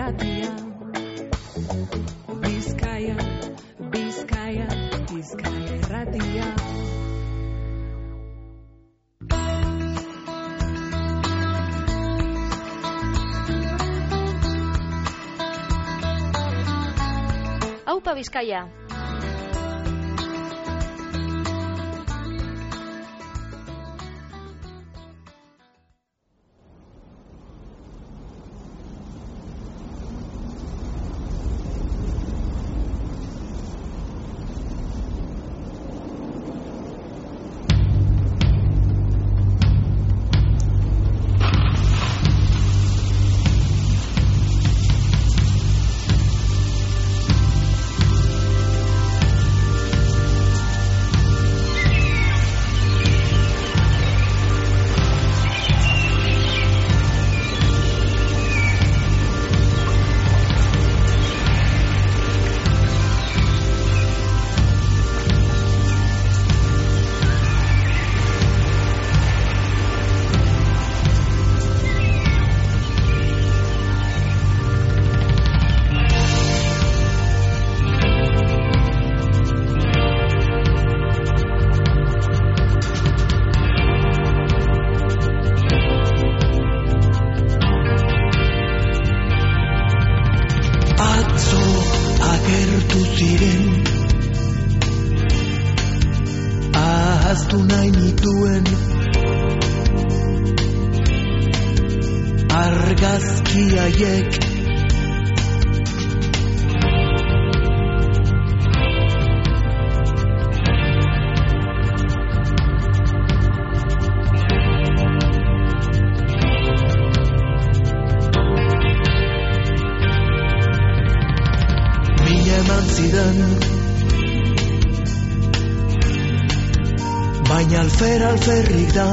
irratia. Bizkaia, Bizkaia, Bizkaia irratia. Aupa Bizkaia. Baina alferrik da,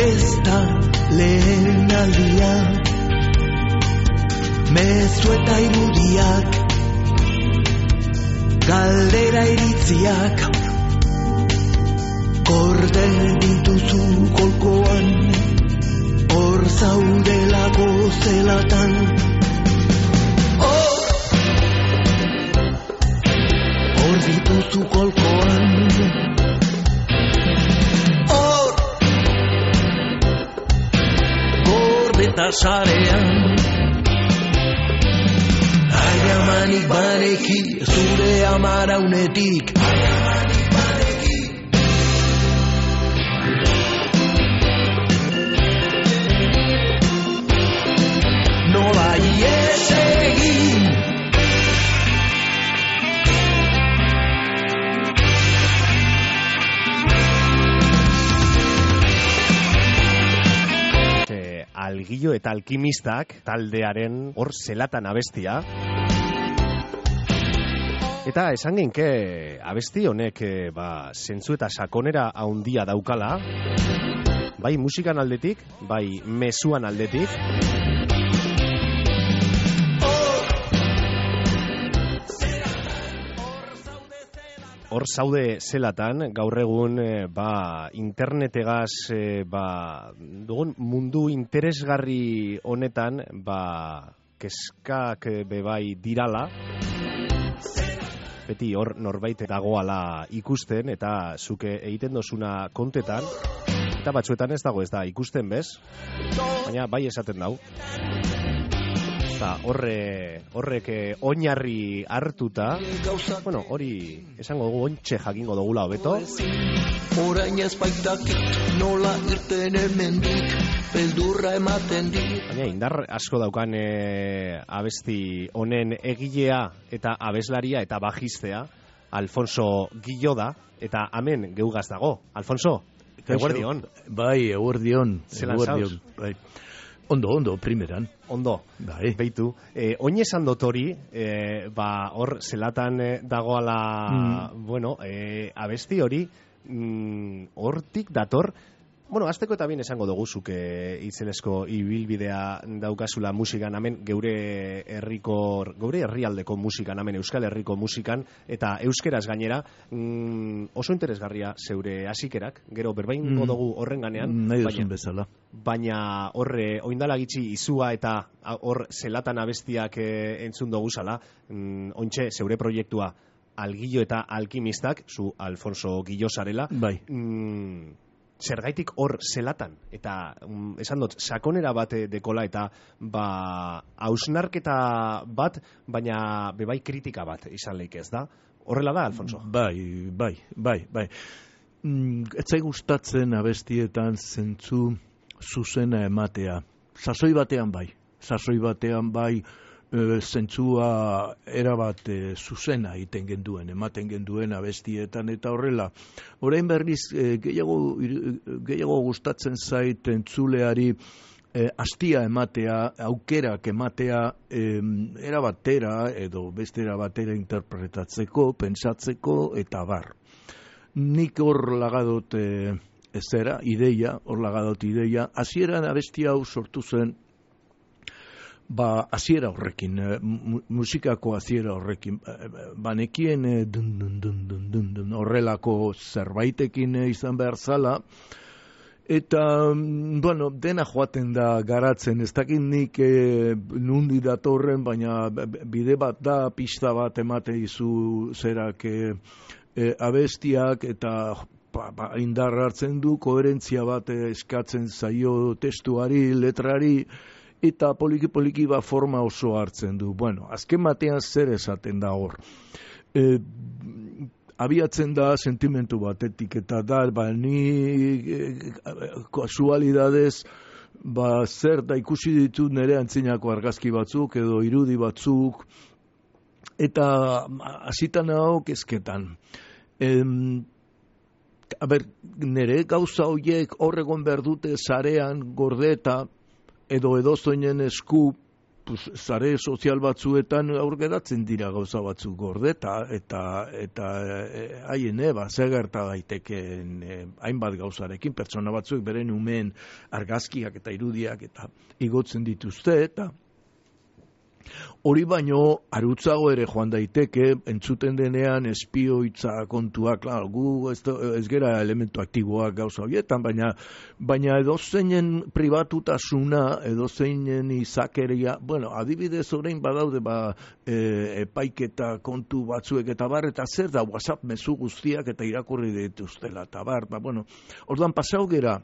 ez da lehen aldia, mezu eta irudiak, galdera iritziak, kordel dituzu kolkoan, hor zaudelako zelatan. Dituzu kolkoan, hor gordeta sarean. Aiamanik baneki zure amaraunetik, aiamanik baneki. Nola ies egin, Algillo eta alkimistak taldearen hor zelatan abestia. Eta esan genke abesti honek zentzu eta sakonera handia daukala, bai musikan aldetik, bai mezuan aldetik. Hor zaude zelatan, gaur egun internetegaz dugun mundu interesgarri honetan kezkak bebai dirala. Beti hor norbait dagoala ikusten eta zuke egiten dozuna kontetan. Eta batzuetan ez dago ez da ikusten bez, baina bai esaten dau. Horrek oinarri hartuta, bueno, hori esango dugu ontxe jakingo dugula hobeto. Orain ez baitakit nola irten hemendik, beldurra ematen dit. Baina indar asko daukan abesti honen egilea eta abeslaria eta bajistea, Alfonso Guillo da, eta hemen geugaz dago. Alfonso, eguerdion. Bai, eguerdion. Zelan zauz? Bai. Ondo, primeran. Ondo, bai. Beitu. Oin esan dut hori, hor zelatan dagoala, abesti hori, hortik dator Bueno, azteko eta bien esango dugu zuk itzelezko ibilbidea daukazula musikan hemen geure herrialdeko musikan hemen Euskal Herriko musikan eta euskeraz gainera oso interesgarria zeure hasikerak, gero berbaingo dugu horren ganean, nahi duzun bezala. Baina horre oindala gitxi izua eta hor zelatan abestiak entzun dugu zala, ontxe zeure proiektua Algillo eta Alkimistak, zu Alfonso Gillo zarela, Bai. Zergaitik hor zelatan, eta esan dut, sakonera bat dekola eta hausnarketa bat, baina bebai kritika bat izan leik ez da. Horrela da, Alfonso? Bai. Etzai gustatzen abestietan zentzu zuzena ematea. Sasoi batean bai, zentzua erabat zuzena iten genduen, ematen genduen abestietan eta horrela. Orain berriz gehiago gustatzen zait entzuleari astia ematea, aukerak ematea erabatera edo bestera batera interpretatzeko, pentsatzeko eta bar. Nik hor lagadot ideia, hasieran abestia hau sortu zen hasiera horrekin, musikako hasiera horrekin, banekien dun horrelako zerbaitekin izan behar zala, eta, bueno, dena joaten da garatzen, ez dakit nik nundi datorren, baina bide bat da, pista bat emate izu zerak abestiak, eta indar hartzen du, koherentzia bat eskatzen zaio testuari, letrari, eta poliki forma oso hartzen du. Bueno, azken batean zer esaten da hor. Abiatzen da sentimentu batetik, eta da, ni kasualidadez, zer da ikusi ditut nire antzinako argazki batzuk, edo irudi batzuk, eta hasitan hau kezketan. Nire gauza horiek horregon behar dute zarean gordeta, edo edozoinen esku sare sozial batzuetan aurgeratzen dira gauza batzuk gordeta eta haien zer gerta daitekeen hainbat gauzarekin, pertsona batzuk beren umeen argazkiak eta irudiak eta igotzen dituzte eta hori baino arutzago ere joan daiteke, entzuten denean espioitza kontua, klar, gu ez gera elementu aktiboak gauza horietan, baina edozeinen pribatutasuna, edozeinen izakeria, bueno, adibidez orain badaude epaiketa kontu batzuek eta bar, eta zer da WhatsApp mezu guztiak eta irakurri dituztela, eta bar, bueno, orduan pasau gera,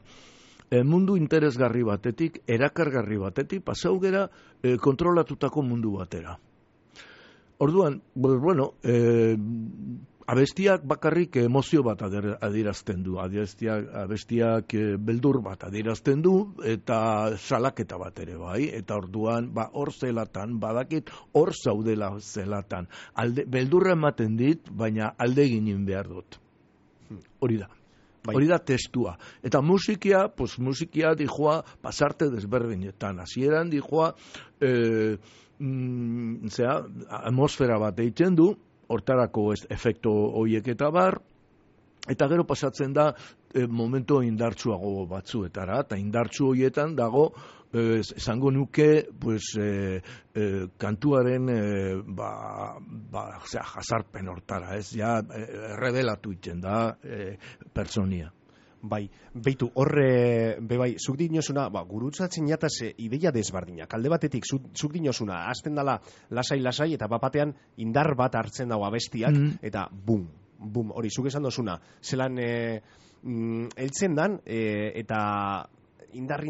mundu interesgarri batetik, erakargarri batetik, pasau gera kontrolatutako mundu batera. Orduan, bueno, abestiak bakarrik emozio bat adierazten du, abestiak beldur bat adierazten du, eta salaketa bat ere bai, eta orduan, hor zelatan, badakit hor zaudela zelatan. Beldurra ematen dit, baina alde ginen behar dut. Hori da. Hori da testua. Eta musikia dijoa pasarte desberdinetan. Hasieran dijoa atmosfera bat eitzen du, hortarako efekto hoiek eta bar, eta gero pasatzen da momento indartsuago batzuetara, eta indartsu hoietan dago esango nuke kantuaren jasarpen hortara, ez ja revelatu itzen da pertsonia. Bai, beitu, horre, bebai, zuk dinosuna, gurutzatzen jataz ideia desbardinak. Alde batetik, zuk dinosuna, azten dala lasai, eta bapatean indar bat hartzen dago abestiak, eta bum, hori, zuk esan dozuna, zelan eltzen dan, eta indar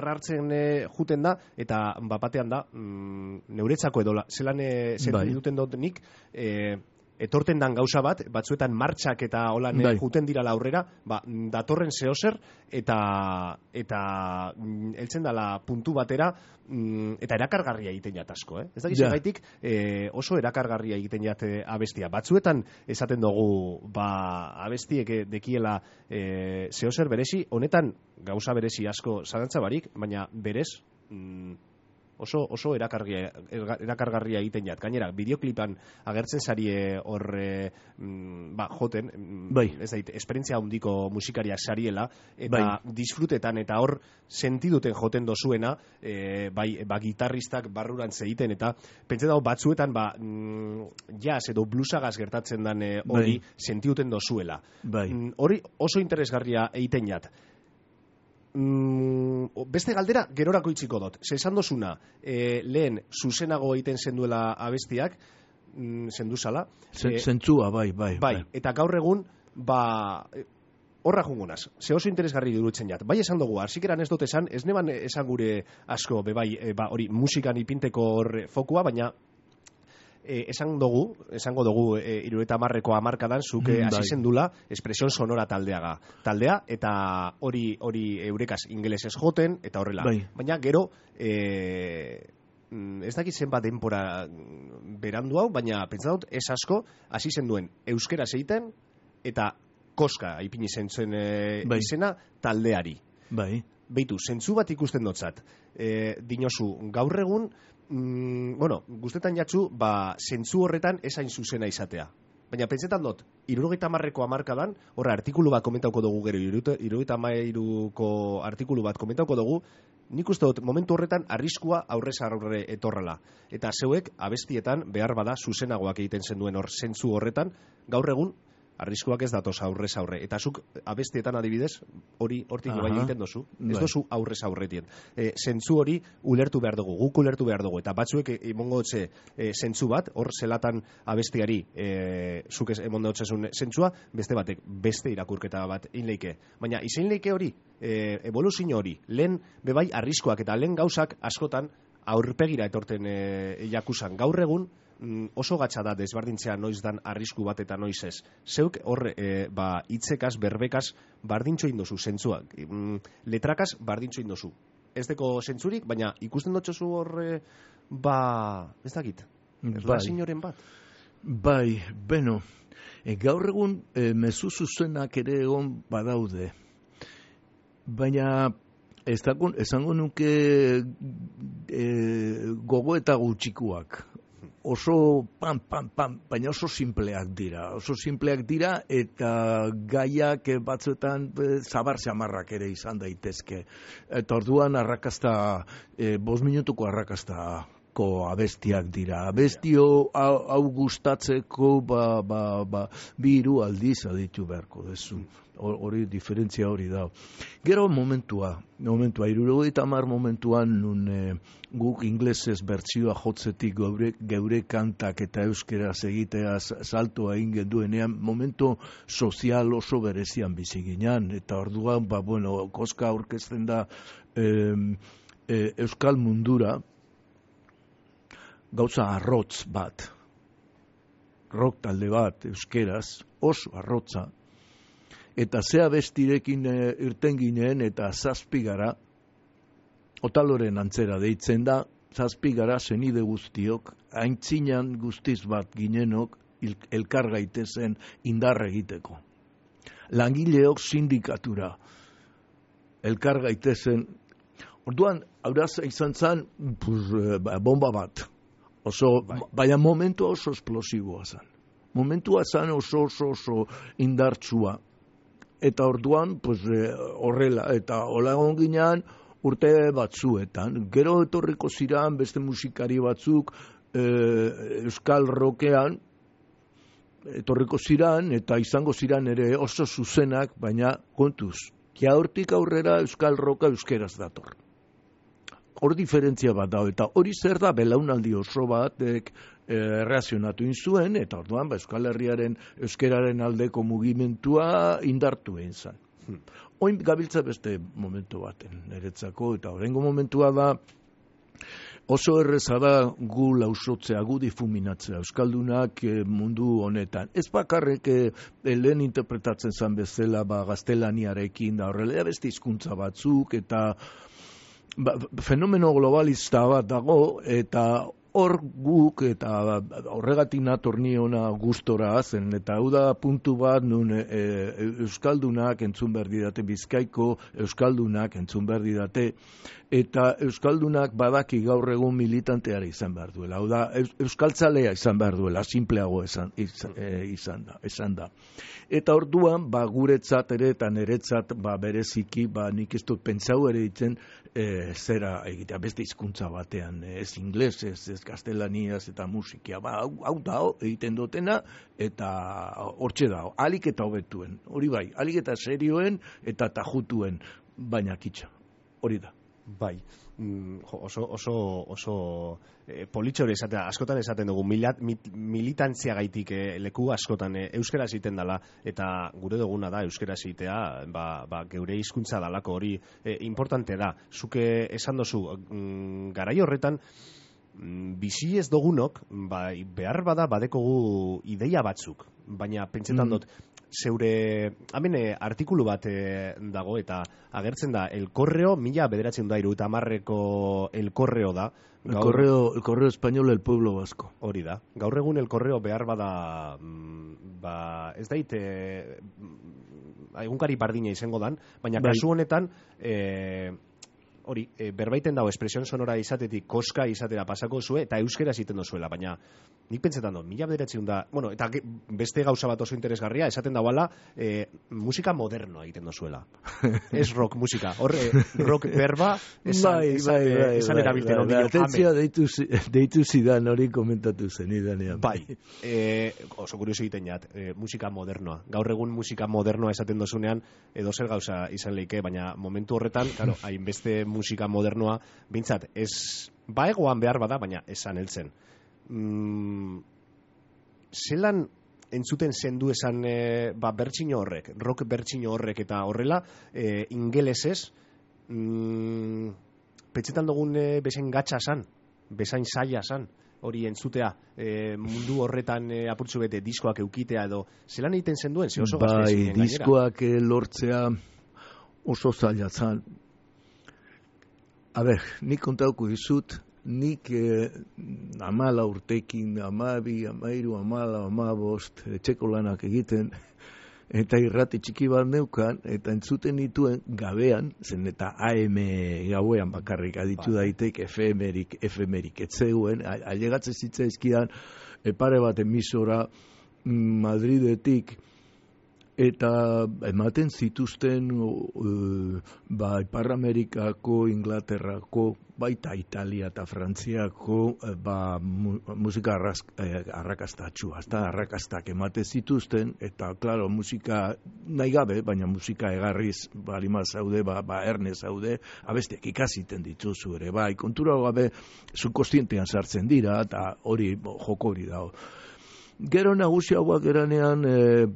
hartzen juten da, eta bapatean da, neuretzako edola, zelan zer duten dut nik, etorten dan gauza bat, batzuetan martxak eta holan juten dira aurrera, datorren zehozer, eta heltzen dala puntu batera, eta erakargarria egiten jat asko, Ez dakiz gaitik oso erakargarria egiten jat abestia. Batzuetan esaten dugu, abestiek dekiela zehozer berezi, honetan gauza berezi asko zalantza barik, baina berez, oso erakargarria egiten jat. Gainera, bideoklipan agertzen sarie hor joten, ez dait, esperientzia handiko musikariak sariela, eta disfrutetan eta hor sentiduten joten dozuena, gitarristak barrurantz egiten, eta pentsa dago batzuetan jazz edo bluesagaz gertatzen dan hori sentiduten dozuela. Hori oso interesgarria egiten jat. Beste galdera gerorako itziko dut. Esan dozuna, lehen zuzenago egiten zenduela abestiak, zenduzala. Zentzua, bai. Eta gaur egun, horra jungunaz, ze oso interesgarri durutzen jat. Bai esan dugu, arsikeran ez dut esan, ez neban esan gure asko, hori musikan ipinteko horre fokua, baina esango dugu 70ko hamarkadan zuke hasi zendula espresion sonora taldea eta hori eurekaz ingelesez joten eta horrela. Baina gero ez dakit zenbat denpora berandu hau, baina pentsa dut ez asko hasi zenduen euskera egiten eta koska ipini zentzen izena taldeari. Beitu, zentzu bat ikusten dotzat. Dinozu, gaur egun guztetan jatzu, zentzu horretan esain zuzena izatea. Baina pentsetan dut, 70ko hamarkadan, horra artikulu bat komentauko dugu gero, 73ko artikulu bat komentauko dugu, nik uste dut momentu horretan arriskua aurrez aurre etorrela. Eta zeuek abestietan behar bada zuzenagoak egiten zenduen hor zentzu horretan, gaur egun arriskuak ez datoz aurrez aurre. Eta zuk abestietan adibidez, hori hortik bai egiten dozu. Ez dozu aurrez aurretien. Zentzu hori ulertu behar dugu, guk ulertu behar dugu. Eta batzuek emongo dutze zentzu bat, hor zelatan abestiari zuk emongo dutzezun zentzua, beste batek, beste irakurketa bat inleike. Baina izein leike hori, evoluzio hori, lehen bebai arriskuak eta lehen gauzak askotan aurpegira etorten jakusan. Gaur egun, oso gatsa da desbardintzea noiz dan arrisku bat eta noiz ez. Zeuk horre hitzekaz, berbekaz bardintxo indozu zentzuak. Letrakaz bardintxo indozu. Ez deko zentzurik, baina ikusten dutxozu horre ez dakit. Erlazinoren bat. Gaur egun mezu zuzenak ere egon badaude. Baina esango nuke gogo eta gutxikuak. Oso baina oso simpleak dira eta gaiak batzuetan zabar samarrak ere izan daitezke. Eta orduan arrakasta, 5 minutuko arrakastako abestiak dira. Abestio hau gustatzeko 2-3 aldiz aditu beharko dezu. Hori diferentzia hori da. Gero momentua 70 momentuan nun guk inglesez bertsioa jotzetik geure kantak eta euskeraz egiteaz saltoa egin genduenean momentu sozial oso berezian bizi ginen eta orduan koska aurkezten da euskal mundura gauza arrotz bat, rock talde bat euskeraz oso arrotza. Eta zea bestirekin irten ginen eta 7 gara, Otaloren antzera deitzen da, 7 gara senide guztiok, aintzinan guztiz bat ginenok elkar gaitezen indarra egiteko. Langileok sindikatura elkar gaitezen. Orduan, hauraz izan zen bomba bat. Baina momentua oso esplosiboa zen. Momentua zen oso indartsua. Eta orduan, horrela, eta hola egon ginean urte batzuetan. Gero etorriko ziran beste musikari batzuk euskal rockean, etorriko ziran, eta izango ziran ere oso zuzenak, baina kontuz, hortik aurrera euskal rocka euskeraz dator. Hor diferentzia bat da, eta hori zer da belaunaldi oso batek reazionatu inzuen, eta orduan Euskal Herriaren euskeraren aldeko mugimentua indartu egin zen. Oin gabiltza beste momentu baten, niretzako, eta horrengo momentua da oso erreza da gu lausotzea, gu difuminatzea, euskaldunak mundu honetan. Ez bakarrik lehen interpretatzen zen bezala gaztelaniarekin, da horrela beste hizkuntza batzuk, eta fenomeno globalista bat dago, eta hor guk, eta horregatik nator ni ona gustora zen, eta hau da puntu bat nun Euskaldunak entzun behar didate, Bizkaiko Euskaldunak entzun behar didate, eta Euskaldunak badaki gaur egun militanteara izan behar duela. Hau da, euskaltzalea izan behar duela, simpleago izan da. Eta orduan, guretzat ere eta niretzat bereziki, nik ez dut pentsau ere ditzen zera egitea, beste hizkuntza batean, ez ingles, ez gaztelaniaz eta musikia. Hau da, egiten dutena, eta hortxe da, alik eta hobetuen, hori bai, alik eta serioen eta tajutuen, baina kitxa, hori da. Bai, oso politxore esatea, askotan esaten dugu, militantzia gaitik leku askotan euskera egiten dela, eta gure duguna da euskera egitea, geure hizkuntza dalako hori importante da. Zuke esan dozu, garai horretan, bizi ez dugunok, behar bada badekogu ideia batzuk, baina pentsetan dut, zeure, hemen artikulu bat dago, eta agertzen da, el correo, 1970ko el correo da. El correo español del pueblo vasco. Hori da. Gaur egun el correo behar bada, ez daite, egunkari bardina izango dan, baina kasu honetan, hori, berbaiten dago espresion sonora izatetik koska izatera pasako zue, eta euskera egiten dozuela, baina nik pentsetan dut, 1900 da, bueno, eta beste gauza bat oso interesgarria, esaten dagoela, musika modernoa egiten dozuela. Ez rock musika, rock berba, esan erabilten ondino. Atentzia deitu zidan hori komentatu zen idanean. Bai, oso kurioso egiten jat, musika modernoa. Gaur egun musika modernoa esaten dozunean, edo zer gauza izan leike, baina momentu horretan, claro, hainbeste musika modernoa, bintzat, ez egoan behar bada, baina esan heltzen. Zelan entzuten zendu esan bertsino horrek, rock bertsino horrek eta horrela, ingelesez, petxetan dugun bezain gatsa san, bezain zaila san, hori entzutea, mundu horretan apurtzu bete diskoak eukitea edo, zelan egiten zenduen, ze oso gazte zinen gainera? Diskoak lortzea oso zaila zan. A ber, nik kontauko dizut, nik 14 urtekin, 12, 13, 14, 15, etxeko lanak egiten, eta irrati txiki bat neukan, eta entzuten dituen gabean, zen eta AM gauean bakarrik aditu daitek, FM-erik etzeuen, ailegatzen zitzaizkidan, pare bat emisora Madridetik, eta ematen zituzten Ipar Amerikako, Inglaterrako, baita Italia eta Frantziako musika arrakastatxua, arrakastak ematen zituzten, eta, klaro, musika nahi gabe, baina musika egarriz balima zaude, erne zaude, abestiak ikasiten dituzu ere, kontura gabe, subkostientean sartzen dira, eta hori, joko hori dago. Gero nagusiagoak eranean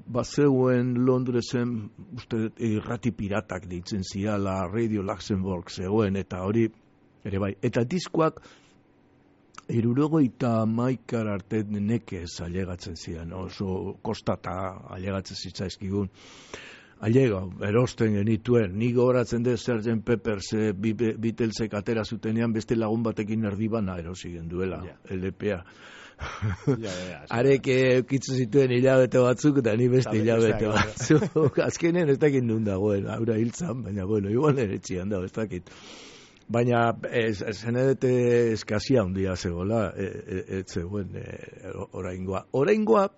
bazeuen Londresen uste irrati piratak deitzen ziala, Radio Luxembourg zegoen, eta hori ere bai. Eta diskoak 71 arte nekez ailegatzen zian, oso kostata ailegatzen zitzaizkigun. Ailega, erosten genituen, nik horatzen dut Sgt. Peppers Beatlesek atera zutenean beste lagun batekin erdibana erosi genduela, LPA. Arek eukitzu zituen hilabete batzuk eta ni beste hilabete batzuk. Azkenen ez dakit nun dagoen, haura hiltzan, baina bueno, igual nire txian dago, ez dakit. Baina zenedete eskazia handia zegoela, ez zegoen oraingoa. Oraingoa,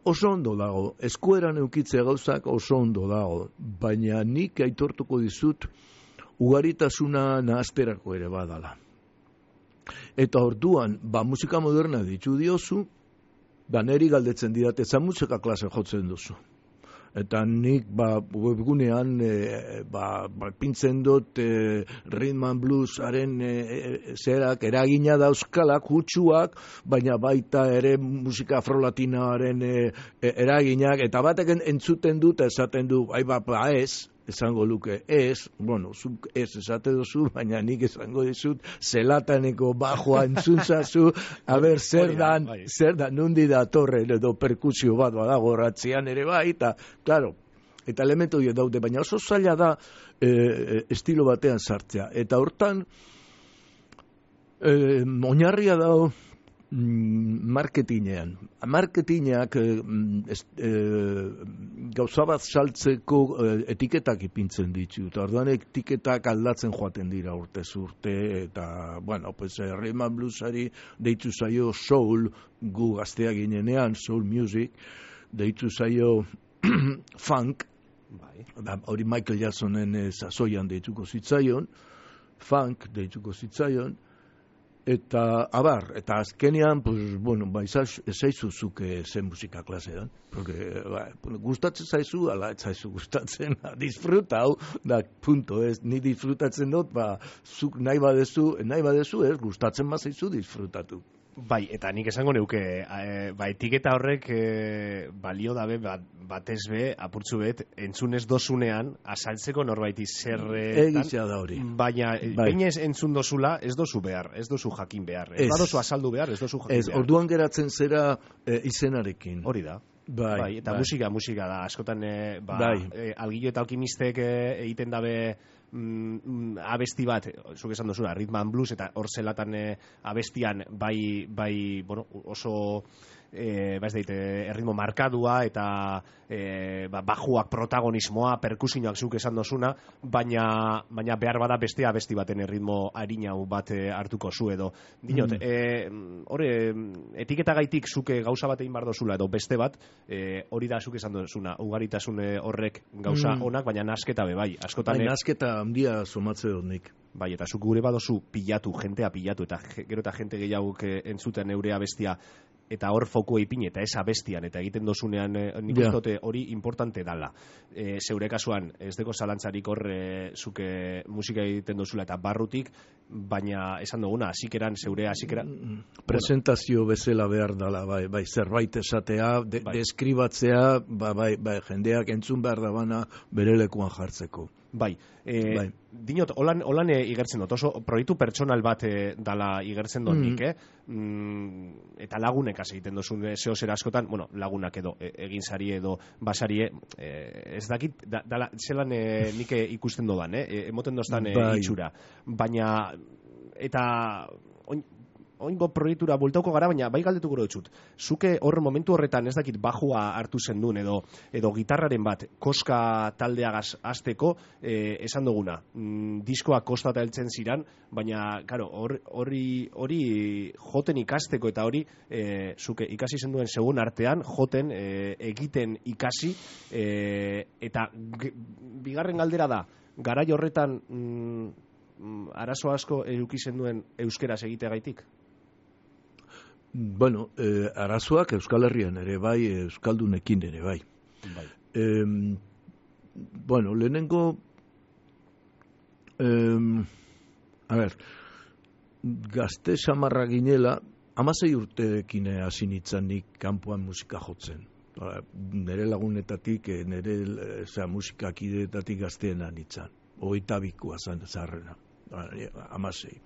oso ondo dago, eskueran eukitzea gauzak oso ondo dago, baina nik aitortuko dizut ugaritasuna nahazterako ere badala. Eta orduan, musika moderna ditu diozu, neri galdetzen didate, za musika klase jotzen duzu. Eta nik webgunean pintzen dut rhythm and bluesaren zerak eragina dauzkalak, hutsuak, baina baita ere musika afrolatinoaren eraginak, eta batek entzuten dut, esaten du, ez, esango luke, ez, bueno, zuk ez esate duzu, baina nik esango dizut, zelataneko bajoa entzuntzazu, haber, zer da, nundi da torre, edo perkusio bat badago ratzian ere bai, eta, klaro, eta elementu horiek daude, baina oso zaila da estilo batean sartzea, eta hortan, Oinarria dago marketinean. Marketinak gauza bat saltzeko etiketak ipintzen ditu. Eta orduan etiketak aldatzen joaten dira urtez urte. Eta, bueno, pues rhythm and bluesari deitu zaio soul, gu gaztea ginenean, soul music, deitu zaio funk, hori Michael Jacksonen sasoian deituko zitzaion, funk deituko zitzaion, eta abar, eta azkenean, pues, bueno, ezaizu zuke zen musika klasean, porque, gustatzen zaizu, ala, ez zaizu gustatzen, disfrutau, da, punto, ez, ni disfrutatzen dut, zuk nahi badezu, ez, gustatzen bazaizu disfrutatu. Bai, eta nik esango neuke, etiketa horrek balio dabe batez be, apurtzu bet, entzunez dozunean, asaltzeko norbaiti zerretan. Egitzea da hori. Baina, bainez entzun dozula, ez dozu behar, ez dozu jakin behar. Ez badozu asaldu behar, ez dozu jakin behar. Orduan geratzen zera izenarekin. Hori da. Bai, eta musika da, askotan Algillo eta Alkimistek egiten dabe abesti bat, zuk esan duzuna, rhythm and blues, eta hor zelatan abestian bueno, oso erritmo markadua eta bajuak protagonismoa, perkusioak zuk esan dozuna, baina behar bada beste abesti baten erritmo harinau bat hartuko zu edo. Dinot, etiketagaitik zuke gauza bat egin bar dozula edo beste bat, hori da zuk esan dozuna, ugaritasun horrek gauza onak, baina nasketa bai. Askotan nasketa handia somatze dut nik. Bai, eta zuk gure badozu jentea pilatu, eta gero eta jente gehiagok entzuten eurea bestia, eta hor fokua ipin eta ez abestian, eta egiten dozunean nik uste hori importante dala. Zeure kasuan, ez deko zalantzarik hor zuke musika egiten dozula eta barrutik, baina esan duguna, zeure hasikeran... Presentazio bezala behar dala, bai, zerbait esatea, deskribatzea, jendeak entzun behar da bana bere lekuan jartzeko. Bai, dinot, holan igertzen dut, oso proiektu pertsonal bat dala igertzen dut nik, eta lagunek egiten dozun zeo zer askotan, bueno, lagunak edo egin sari edo basarie, ez dakit, zelan nik ikusten dodan, emoten doztan itxura, baina, eta oingo proiektura bultauko gara, baina bai galdetuko dutxut. Zuke hor momentu horretan ez dakit bajua hartu zendun edo gitarraren bat koska taldeagaz hasteko esan duguna. Diskoa kostata heltzen ziran, baina claro, hori joten ikasteko eta hori zuke ikasi zenduen segun artean joten egiten ikasi eta bigarren galdera da, garai horretan arazo asko eduki zenduen euskeraz egiteagaitik? Bueno, arazoak Euskal Herrian ere bai, Euskaldunekin ere bai. Bueno, lehenengo gazte samarra ginela 16 urteekin hasi nintzen nik kanpoan musika jotzen. Nere lagunetatik, nere musikakidetatik gazteena nintzen. 22koa zaharrena. 16.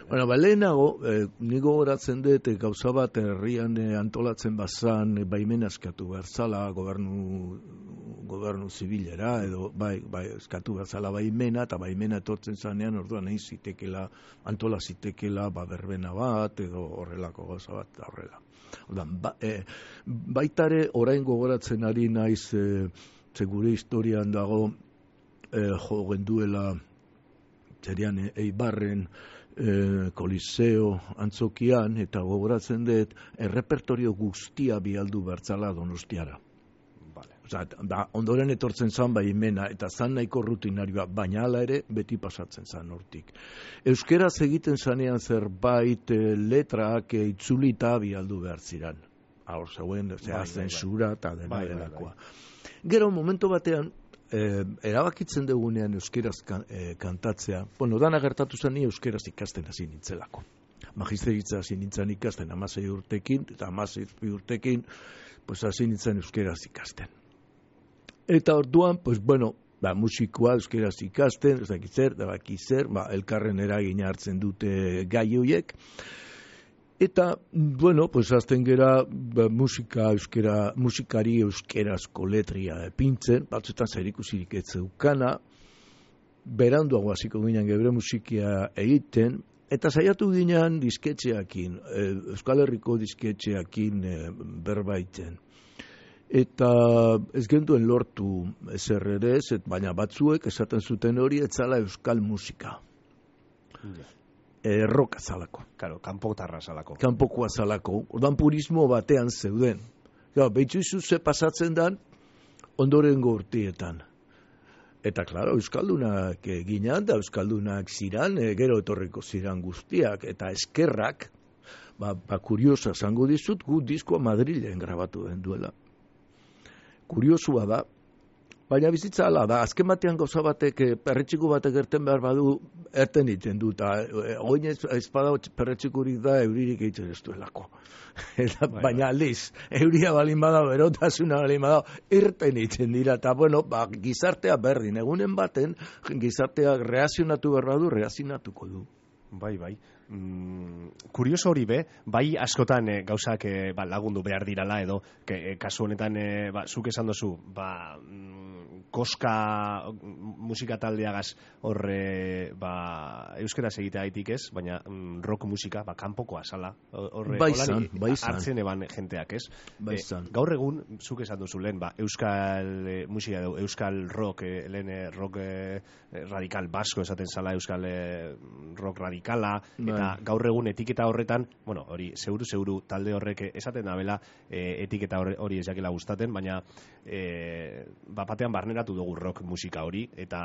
Bueno, lehenago, nigo horatzen dut, gauza bat herrian antolatzen bazan, baimena eskatu behar zala, gobernu zibilera, edo bai, eskatu behar zala baimena, eta baimena etortzen zanean, orduan egin zitekela, antola zitekela, berbena bat, edo horrelako gauza bat, horrela. Orduan, baitare, orain gogoratzen ari naiz, segure historian dago, jo genduela, zerian Eibarren Koliseo antzokian, eta gogoratzen dut errepertorio guztia bialdu bertzala Donostiara. Ondoren etortzen zan baimena, eta zan nahiko rutinarioa, baina hala ere beti pasatzen zan hortik. Euskeraz egiten zanean zerbait letrak itzulita bialdu behar ziran. Hor zeuen, zensura eta delakoa. Gero, momentu batean, erabakitzen dugunean euskeraz kantatzea, bueno, dana gertatu zen ni euskeraz ikasten hasi nintzelako. Magisteritza hasi nintzen ikasten 16 urtekin, eta 16 urtekin, pues hasi nintzen euskeraz ikasten. Eta orduan, pues bueno, musikoa euskeraz ikasten, ez dakit zer, elkarren eragina hartzen dute gai horiek. Eta, bueno, pues azten gera musikari euskerazko letria epintzen, batzuetan zerikusirik ez zeukana, beranduago hasiko ginen gebre musikia egiten, Eta saiatu ginean disketxeakin, Euskal Herriko disketxeakin berbaiten. Eta ez genduen lortu ezer ere ez, baina batzuek esaten zuten hori etzala euskal musika. Roka zalako. Claro, kanpotarra zalako. Kanpokoa zalako. Ordan purismo batean zeuden. Behitzu ze pasatzen dan ondorengo urtietan. Eta, klaro, euskaldunak ginean da, euskaldunak ziran, gero etorriko ziran guztiak, eta eskerrak, kuriosa zango dizut, gu diskoa Madrilen grabatu den duela. Kuriosua da, baina bizitza ala da, azken batean gauza batek, perretxiku batek erten behar badu, erten iten du, eta oin ez bada perretxikurik da, euririk egiten ez duelako. Baina aldiz, euria balin bada, berotasuna balin bada, erten iten dira, eta bueno, gizartea berdin, egunen baten, gizartea reazionatu behar badu, reazionatuko du. Bai. Kurioso hori be, bai askotan gauzak lagundu behar dirala edo, kasu honetan zuk esan dozu, koska musika taldeagaz horre euskeraz egitea haitik ez, baina rock musika kanpokoa zala. Baizan. Hartzen eban jenteak ez. Baizan. Gaur egun, zuk esan dozu lehen, euskal musika edo, euskal rock, lehen rock radikal basko esaten zala, euskal rock radikala, eta gaur egun etiketa horretan, bueno, hori, zeuru talde horrek esaten dabela, etiketa hori ez jakela gustaten, baina batean barneratu dugu rock musika hori, eta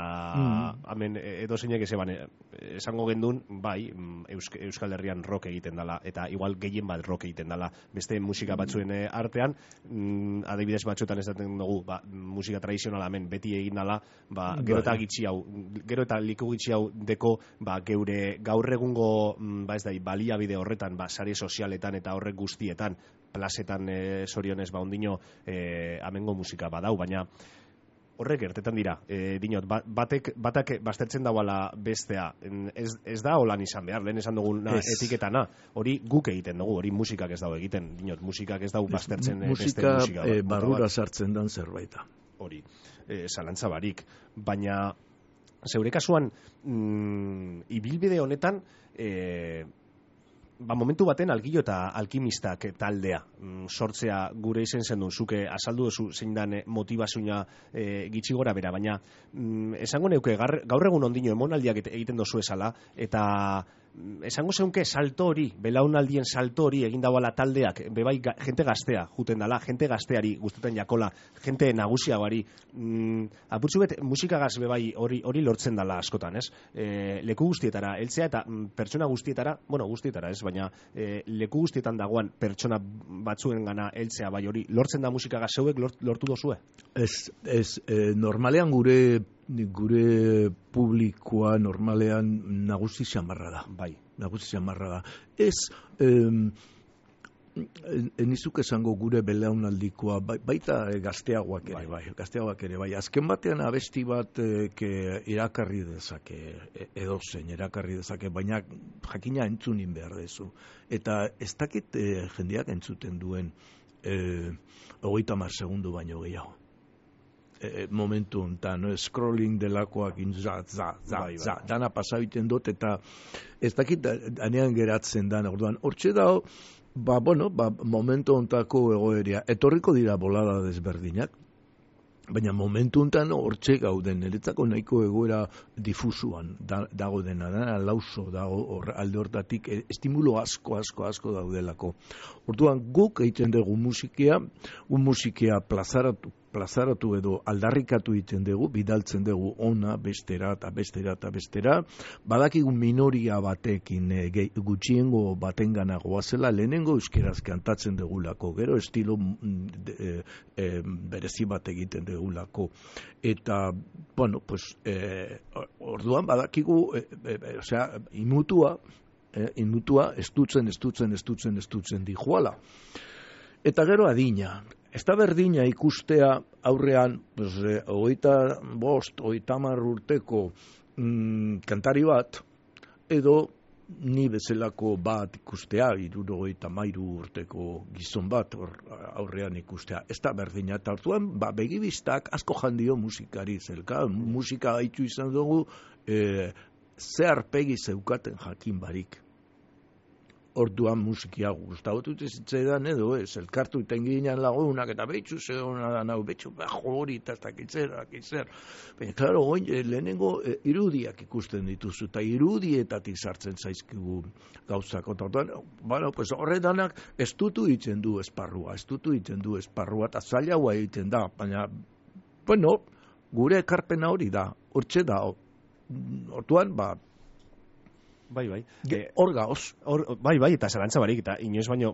hemen edo zeinek esango gendun, bai, Euskal Herrian rock egiten dela, eta igual gehien bat rock egiten dela, beste musika batzuen artean, adibidez batzuetan esaten dugu, musika tradizionala hemen beti egin dela, gero eta liku gitxi hau deko, geure gaur egungo baliabide horretan, sare sozialetan eta horrek guztietan, plazetan zorionez ondino amengo musika badau, baina horrek gertetan dira, dinot, batak baztertzen dauala bestea, ez da holan izan behar, lehen esan duguna etiketana, hori guk egiten dugu, hori musikak ez dago egiten, dinot, musikak ez dago baztertzen beste musika. Musika barrura sartzen dan zerbaita. Hori, zalantza barik, baina zeure kasuan, ibilbide honetan, momentu baten Algillo eta Alkimistak taldea sortzea gure izen zendun, zuke azaldu duzu zein dan motivazioa gitxi gora bera, baina esango neuke gaur egun ondino emonaldiak egiten dozu esala, eta esango zeunke salto hori, belaunaldien salto hori egin dauala taldeak, bebai jente gaztea, juten dala, jente gazteari guztetan jakola, jente nagusiagoari, apurtzu bet musikagaz bebai hori lortzen dala askotan, ez? Leku guztietara, heltzea eta pertsona guztietara, bueno, guztietara ez, baina leku guztietan dagoan pertsona batzuen gana heltzea, bai hori, lortzen da musikagaz zeuek lortu dozue? Ez, normalean gure publikoa normalean nagusi xamarra da. Bai. Nagusi xamarra da. Ez, nizuk esango gure belaunaldikoa, baita gazteagoak ere, gazteagoak ere, bai. Azken batean abesti bat irakarri dezake, edozein irakarri dezake, baina jakina entzunin behar dezu. Eta ez dakit jendeak entzuten duen 30 segundu baino gehiago. Momentu honetan, scrolling delakoak dana pasabiten dut, eta ez dakit danean geratzen dan, orduan, hortxe dao, momentu honetako egoeria, etorriko dira bolada desberdinak, baina momentu honetan hortxe gauden, niretzako nahiko egoera difusuan dago dena, lauso dago alde hortatik, estimulo asko daudelako. Orduan, guk egiten dugu musikia plazaratu edo aldarrikatu egiten dugu, bidaltzen dugu ona bestera, badakigu minoria batekin gutxiengo batengana goazela, lehenengo euskeraz kantatzen dugulako, gero estilo berezi bat egiten dugulako. Eta, bueno, pues, orduan badakigu, inutua estutzen dijuala. Eta gero adina. Ez da berdina ikustea aurrean, 25-30 urteko kantari bat, edo ni bezalako bat ikustea, 73 urteko gizon bat aurrean ikustea. Ez da berdina, eta hartuan, begibistak asko jandio musikari zelka. Musika haitu izan dugu, ze arpegi zeukaten jakin barik. Orduan musikia gustatu zitzaidan edo ez, elkartu iten ginen lagunak eta betxu zegona da nau, betxu hori eta ez dakitzer. Baina, klaro, lehenengo irudiak ikusten dituzu, eta irudietatik sartzen zaizkigu gauzak. Orduan, pues horretanak estutu egiten du esparrua, eta zailagoa egiten da, baina, bueno, gure ekarpena hori da, hortxe da, orduan, Bai. Hor gaoz. Bai, eta zalantza barik, eta inoiz baino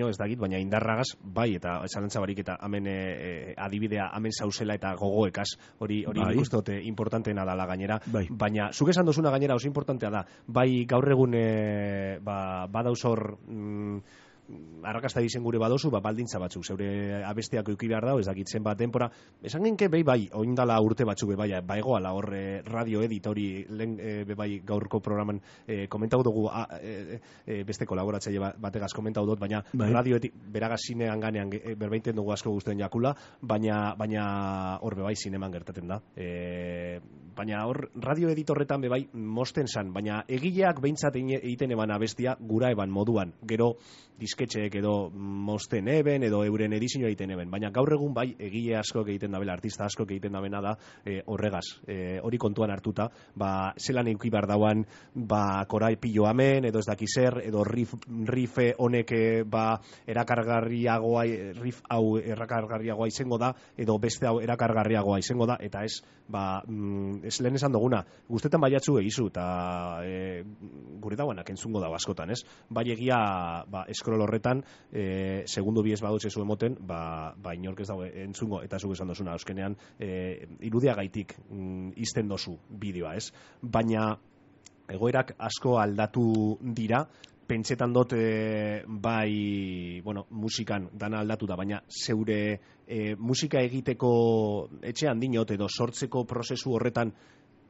ez dakit, baina indarragaz, bai, eta zalantza barik, eta hemen adibidea, hemen zauzela eta gogoekaz, hori nik uste dute importanteena dala gainera, baina zuk esan dozuna gainera oso importantea da, bai gaur egun badauz hor arrakasta dizen gure badozu, baldintza batzuk, zeure abestiak euki behar dago, ez dakit zenbat denpora, esan genke bai, oindala urte batzuk egoala hor radio edit hori bai gaurko programan komentau dugu beste kolaboratzaile bategaz komentau dut, baina radio edit beragaz zinean ganean berbaiten dugu asko guztien jakula, baina hor bai zineman gertaten da, baina hor radio edit horretan bai mosten zan, baina egileak behintzat egiten eban abestia gura eban moduan, gero disketxeek edo mosten eben edo euren edizioa egiten eben, baina gaur egun bai egile asko egiten dabela, artista asko egiten dabena da horregaz, hori kontuan hartuta, zelan euki behar dauan korai pilo amen, edo ez daki zer, edo rife honek erakargarriagoa, riff hau erakargarriagoa izango da, edo beste hau erakargarriagoa izango da, eta ez ez lehen esan duguna, guztetan baiatzu egizu, eta gure dauanak entzungo dago askotan, ez? Bai egia eskrol horretan, segundu bi ez badutze zuen moten, inork ez dago entzungo, eta zuk esan dozuna, euskenean, irudia gaitik izten dozu bideoa, ez? Baina egoerak asko aldatu dira, pentsetan dut musikan dana aldatu da, baina zeure musika egiteko etxean dinot edo sortzeko prozesu horretan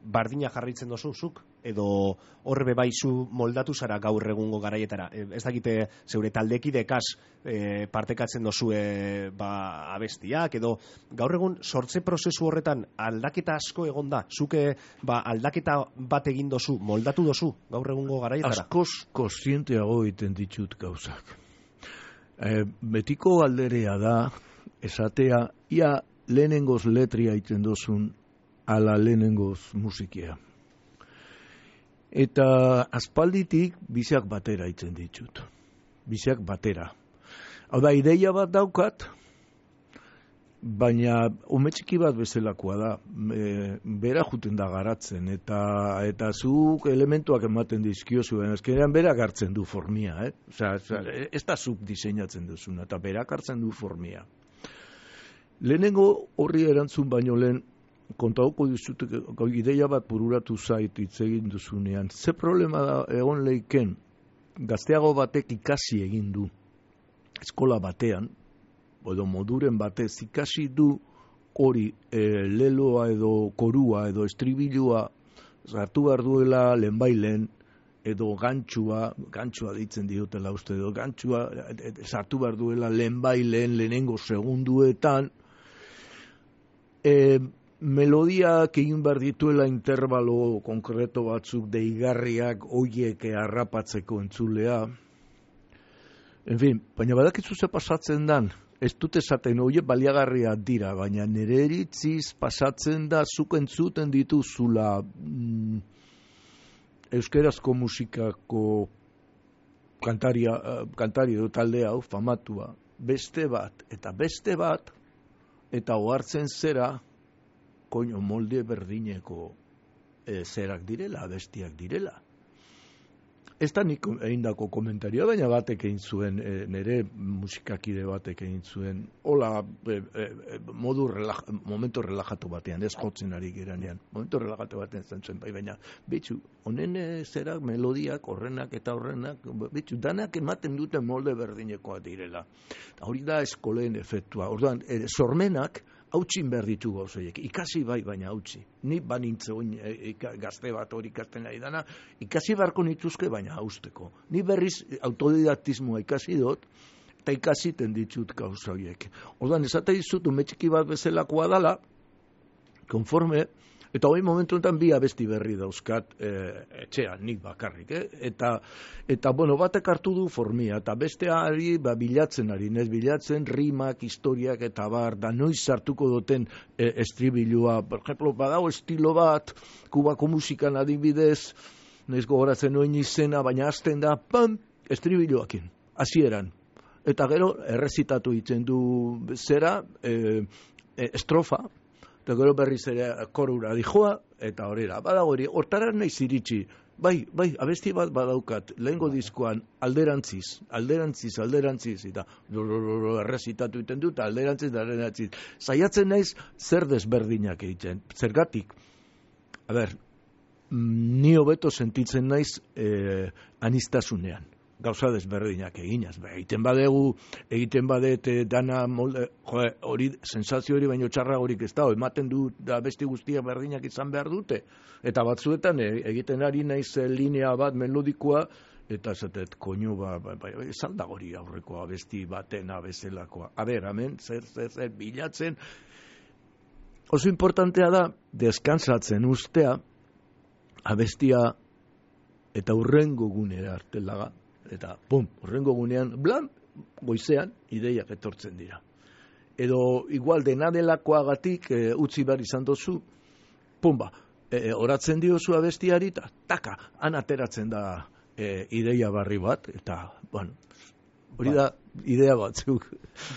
bardina jarritzen dozuzuk, edo horre bebaizu moldatu zara gaur egungo garaietara. Ez dakite zeure taldekidekaz partekatzen dozue abestiak, edo gaur egun sortze prozesu horretan aldaketa asko egon da, zuke aldaketa bat egin dozu, moldatu dozu gaur egungo garaietara? Askoz kontzienteago egiten ditut gauzak. Betiko alderea da, esatea, ia lehenengoz letria egiten dozun, ala lehenengoz musikia. Eta aspalditik biziak batera itzen ditut. Biziak batera. Hau da, ideia bat daukat, baina umetxiki bat bezalakoa da. Bera juten da garatzen, eta zuk elementuak ematen dizkiozu, azkenean berak hartzen du formia. Ez da zuk diseinatzen duzuna, eta berak hartzen du formia. Lehenengo horri erantzun baino lehen, kontauko dizut, ideia bat bururatu zait hitz egin duzunean. Ze problema da egon leiken, gazteago batek ikasi egin du, eskola batean, edo moduren batez ikasi du hori leloa edo korua edo estribilua sartu behar duela lehenbailen, edo gantxua ditzen diotela uste, edo gantxua sartu behar duela lehenbailen, lehenengo segunduetan, melodiak egin behar dituela intervalo konkreto batzuk deigarriak hoiek harrapatzeko entzulea. En fin, baina badakizu ze pasatzen dan, ez dut esaten hoiek baliagarria dira, baina nire iritziz pasatzen da zuk entzuten dituzula euskerazko musikako kantari edo talde hau famatua, beste bat, eta ohartzen zera koño molde berdineko zerak direla, bestiak direla. Ez da nik egindako komentarioa, baina batek egin zuen, nire musikakide batek egin zuen, hola, momentu relajatu batean, ez jotzen ari geranean, momentu relajatu batean zentzuen, baina, betxu, honen zerak, melodiak, horrenak eta horrenak, betxu, danak ematen duten molde berdinekoa direla. Hori da eskoleen efektua, orduan, sormenak, hautsin behar ditu gauzoiek, ikasi bai, baina hautsi. Ni banintze gazte bat hori ikasten ari dana, ikasi beharko nituzke, baina hausteko. Ni berriz autodidaktismoa ikasi dut, eta ikasiten ditut gauzoiek. Orduan, esate dizut, umetxiki bat bezalakoa dala, konforme Eta hori momentu enten bi abesti berri dauzkat etxean, nik bakarrik, Eta, bueno, batek hartu du formia, eta besteari bilatzen ari, bilatzen rimak, historiak eta bar, da noiz sartuko duten estribilua. Por ejemplo, badago estilo bat, Kubako musikan adibidez, noiz gogoratzen noin izena, baina hasten da, pam, estribiluakin, hasieran. Eta gero, errezitatu itzen du zera, estrofa, eta gero berriz ere korura dijoa, eta horrela. Badago hori, hortara naiz iritsi. Bai, abesti bat badaukat, lehengo diskoan alderantziz, eta errezitatu iten dut, alderantziz. Saiatzen naiz zer desberdinak egiten. Zergatik, ni hobeto sentitzen naiz aniztasunean. Gauza desberdinak eginaz. Egiten badet dana molde, hori, sensazio hori baino txarra horik ez da, ematen du da besti guztiak berdinak izan behar dute. Eta batzuetan egiten ari naiz linea bat melodikoa, eta zatet, koinu, esan da hori aurrekoa besti batena bezelakoa. Hemen, zer, bilatzen. Oso importantea da, deskansatzen ustea, abestia eta urrengo gunera artelaga. Eta, horrengo gunean, goizean, ideiak etortzen dira. Edo, igual dena delakoagatik utzi behar izan dozu, oratzen diozu abestiari, eta taka, han ateratzen da ideia barri bat, eta, hori da, idea batzuk.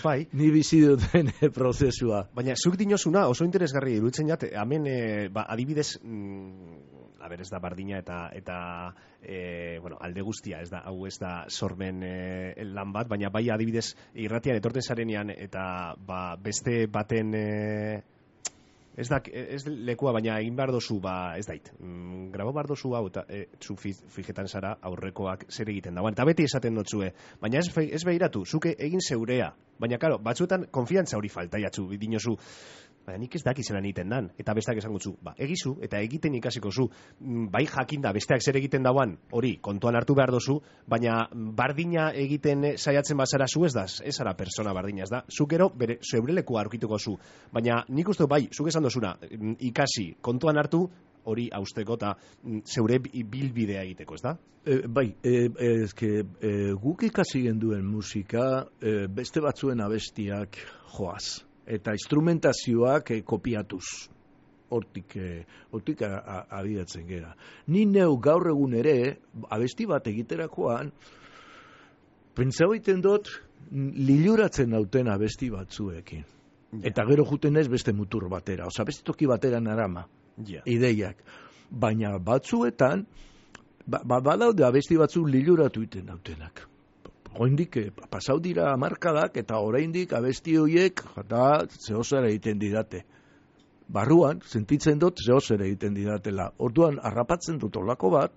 Bai. Ni bizi duten prozesua. Baina, zuk dinozuna oso interesgarri iruditzen jat, hemen, adibidez, ez da bardina eta alde guztia, hau ez da sormen lan bat, baina bai adibidez irratian etorten zarenean eta beste baten ez lekua, baina egin behar dozu, ez dait, grabo behar dozu hau, eta zu fijetan zara aurrekoak zer egiten dagoen, eta beti esaten dotzue, baina ez behiratu, zuke egin zeurea, baina karo, batzuetan konfiantza hori falta jatzu, dinozu, baina nik ez dakizela egiten dan, eta besteak esango zu, egizu, eta egiten ikasiko zu, bai jakinda, besteak zer egiten dauan, hori, kontuan hartu behar dozu, baina bardina egiten saiatzen bazara zu ez zara persona bardina, ez da, zuk ero, zeure lekua aurkituko zu, baina nik uste bai, zuk esan dozuna, ikasi, kontuan hartu, hori hausteko eta zeure bilbidea egiteko, ez da? Bai, guk ikasi genduen musika, beste batzuen abestiak joaz. Eta instrumentazioak kopiatuz. Hortik abiatzen gera. Ni neu gaur egun ere, abesti bat egiterakoan, pentsau egiten dut, liluratzen nauten abesti batzuekin. Eta gero juten ez beste mutur batera. Osa, beste toki batera narama. Ideiak. Baina batzuetan, badaude abesti batzu liluratu iten nautenak. Oraindik pasau dira hamarkadak eta oraindik abesti horiek eta zehozer egiten didate. Barruan, sentitzen dut zehozer egiten didatela. Orduan, harrapatzen dut olako bat,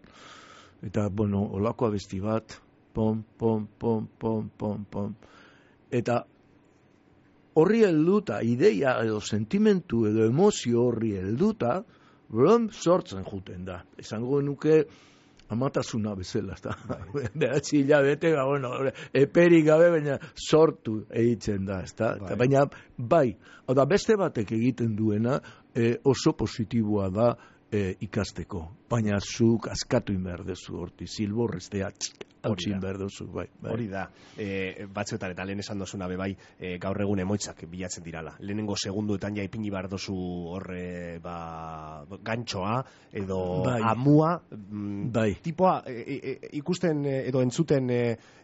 eta, olako abesti bat, pom. Eta horri helduta, ideia edo sentimentu edo emozio horri helduta, sortzen juten da. Esango nuke, amatasuna bezala, eta behatzi hilabete, eperik gabe, baina sortu egiten da, eta baina bai, beste batek egiten duena oso positiboa da ikasteko, baina zuk askatu inber dezu horti, zilborreztea hautsin behar duzu, bai. Hori da, batzuetan eta lehen esan dozuna bai, gaur egun emoitzak bilatzen dirala. Lehenengo segunduetan ja ipini behar dozu horre gantxoa edo amua, tipoa ikusten edo entzuten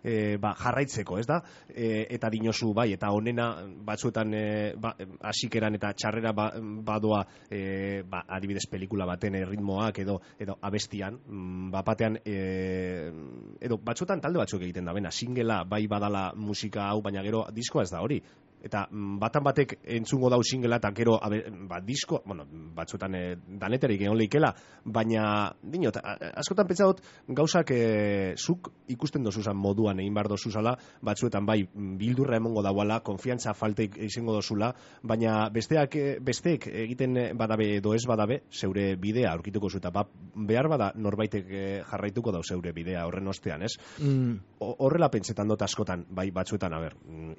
jarraitzeko, ez da? Eta dinozu, bai, eta onena batzuetan hasikeran eta txarrera badoa adibidez pelikula baten ritmoak edo abestian, batean edo batzuetan talde batzuk egiten da, singela bai badala musika hau, baina gero diskoa ez da hori. Eta batan batek entzungo dau singela eta gero disko, batzuetan daneterik egon leikela, baina dinot, askotan pentsatot gauzak zuk ikusten dozuzan moduan egin behar dozuzala, batzuetan bai bildurra emongo dauala, konfiantza falteik izango dozula, baina besteek egiten badabe edo ez badabe, zeure bidea aurkituko zu, eta behar bada norbaitek jarraituko dau zeure bidea horren ostean, ez? Horrela pentsetan dut askotan, bai batzuetan,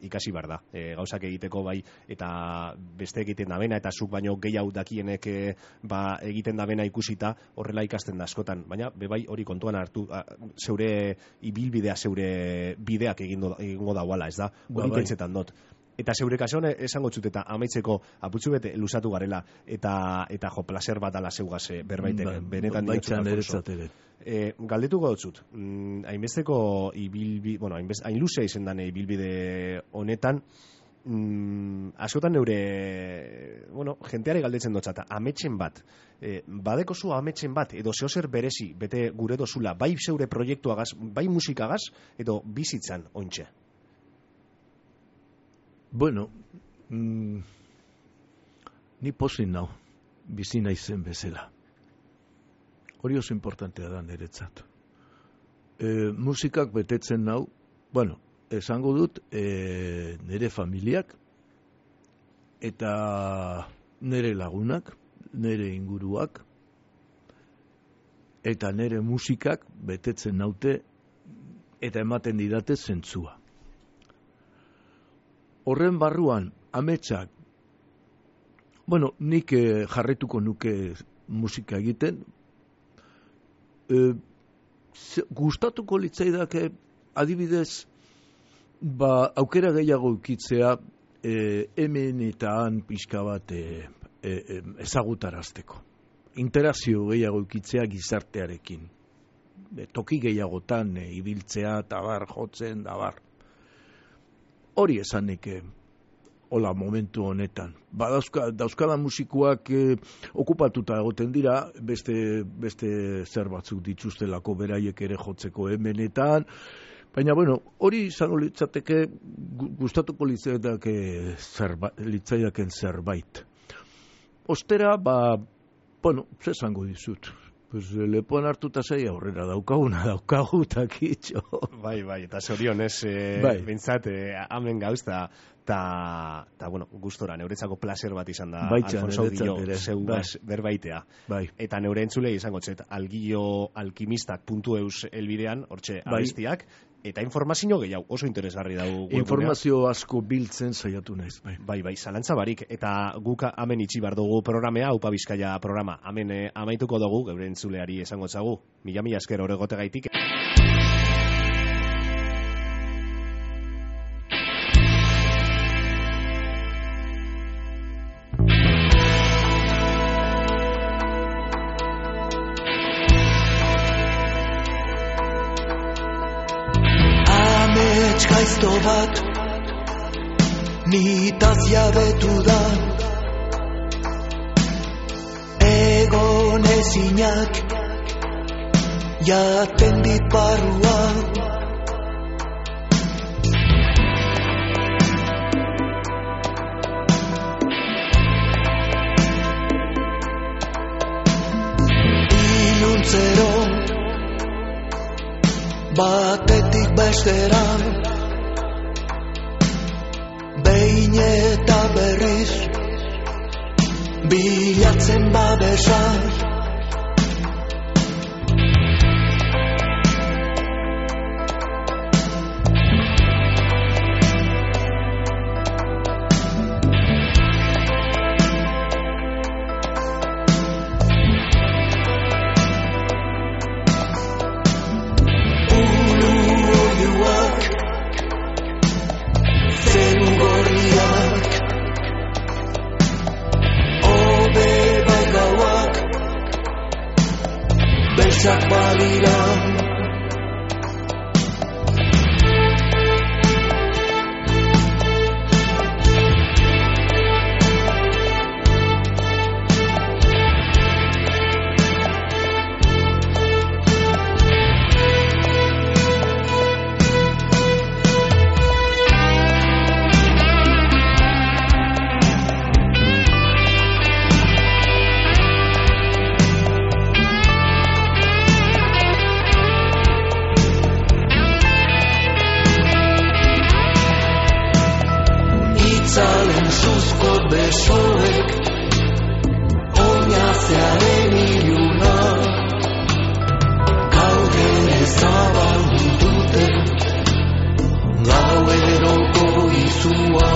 ikasi behar da, gauzak gauzak egiteko bai, eta beste egiten dabena, eta zuk baino gehiago dakienek egiten dabena ikusita, horrela ikasten da askotan, baina bebai hori kontuan hartu, zeure ibilbidea, zeure bideak egingo dauala, ez da, hori pentsetan dut. Eta zeure kasuan esango txut eta amaitzeko aputxu bete lusatu garela eta jo, placer bat ala zeugaz berbaiteke, benetan diotzut Alfonso. Galdetuko dut, hainbesteko hain luzea izen dane ibilbide honetan, askotan neure, jenteare galdetzen dotzata, ametxen bat, badeko zu ametxen bat, edo zehozer berezi, bete gure dozula, bai zeure proiektuagaz, bai musikagaz, edo bizitzan ointxe. Bueno, ni posin nau, bizi naizen bezala. Hori oso importantea da niretzat. Musikak betetzen nau, esango dut, nire familiak, eta nire lagunak, nire inguruak, eta nire musikak betetzen naute, eta ematen didate zentzua. Horren barruan, ametsak, nik jarretuko nuke musika egiten, gustatuko litzaidake adibidez, aukera gehiago ukitzea, hemen eta han pixka bat ezagutarazteko. Interazio gehiago ukitzea gizartearekin. Toki gehiagotan ibiltzea, tabar, jotzen, dabar. Hori esanik hola momentu honetan. Dauzkada musikuak okupatuta egoten dira, beste zer batzuk dituztelako beraiek ere jotzeko hemenetan, baina hori izango litzateke gustatuko litzaidaken zerbait. Ostera, ze esango dizut? Lepoan hartuta zei aurrera daukagu takitxo. Bai, eta zorionez, bintzat, amen gauz, eta gustora, neuretzako placer bat izan da, Alfonso Gillo, zeugaz berbaitea. Eta neure entzulei izango txet, algilloalkimistak.eus elbidean, hortxe abestiak, eta informazio gehiago, oso interesgarri dago. Informazio asko biltzen saiatu naiz. Bai, zalantza barik, eta guk amen itxi bar dugu programea, Aupa Bizkaia programa, amen amaituko dugu, geure entzuleari esango txagu, mila esker horregote gaitik. Gaizto bat nitaz jabetu da, egon ezinak jaten dit barrua. Iluntzero batetik bestera, behin eta berriz bilatzen babesa. Gaueroko izua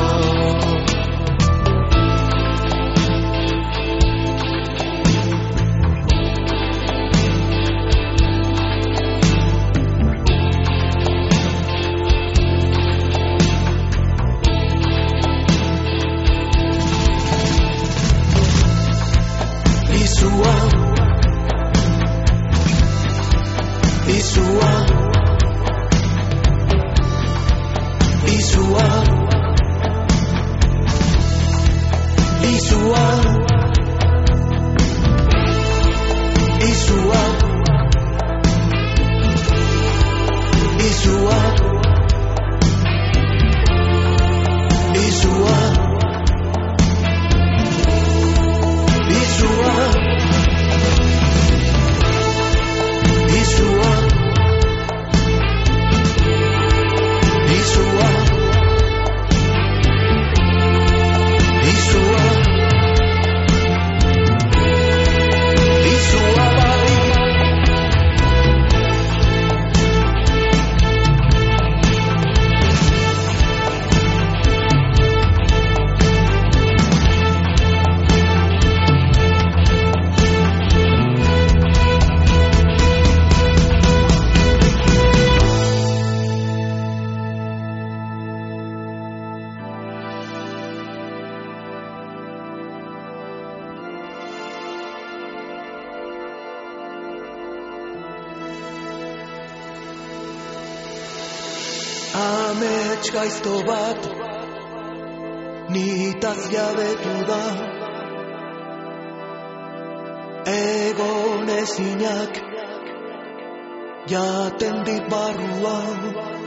Amets gaizto bat nitaz jabetu da, egon ezinak jaten dit barruan.